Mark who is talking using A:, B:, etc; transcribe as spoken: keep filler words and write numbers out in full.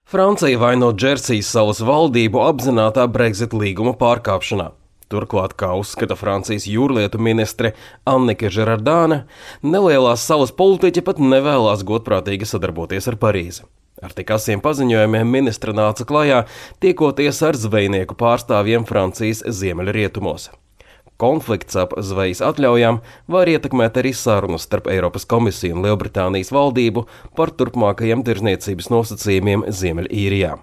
A: Francija vaino Džersijas salas valdību apzinātā Brexit līguma pārkāpšanā. Turklāt, kā uzskata Francijas jūrlietu ministre Anneke Girardāne, nelielās salas politiķi pat nevēlās godprātīgi sadarboties ar Parīzi. Ar tik asiem paziņojumiem ministre nāca klajā, tiekoties ar zvejnieku pārstāvjiem Francijas ziemeļrietumos. Konflikts ap zvejas atļaujām var ietekmēt arī sarunas starp Eiropas komisiju un Lielbritānijas valdību par turpmākajiem tirdzniecības nosacījumiem Ziemeļīrijā.